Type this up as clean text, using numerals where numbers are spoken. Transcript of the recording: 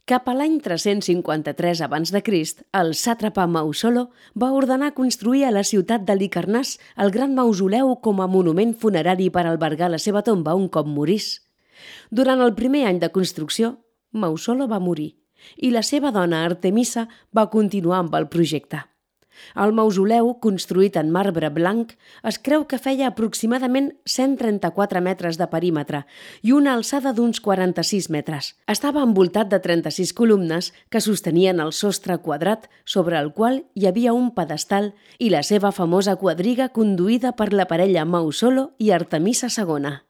Cap a l'any 353 abans de Crist, el sàtrapa Mausolo va ordenar construir a la ciutat de Licarnàs el gran mausoleu com a monument funerari per albergar la seva tomba un cop morís. Durant el primer any de construcció, Mausolo va morir i la seva dona Artemisa va continuar amb el projecte. El mausoleu, construït en marbre blanc, es creu que feia aproximadament 134 metres de perímetre i una alçada d'uns 46 metres. Estava envoltat de 36 columnes que sostenien el sostre quadrat sobre el qual hi havia un pedestal i la seva famosa quadriga conduïda per la parella Mausolo i Artemisa II.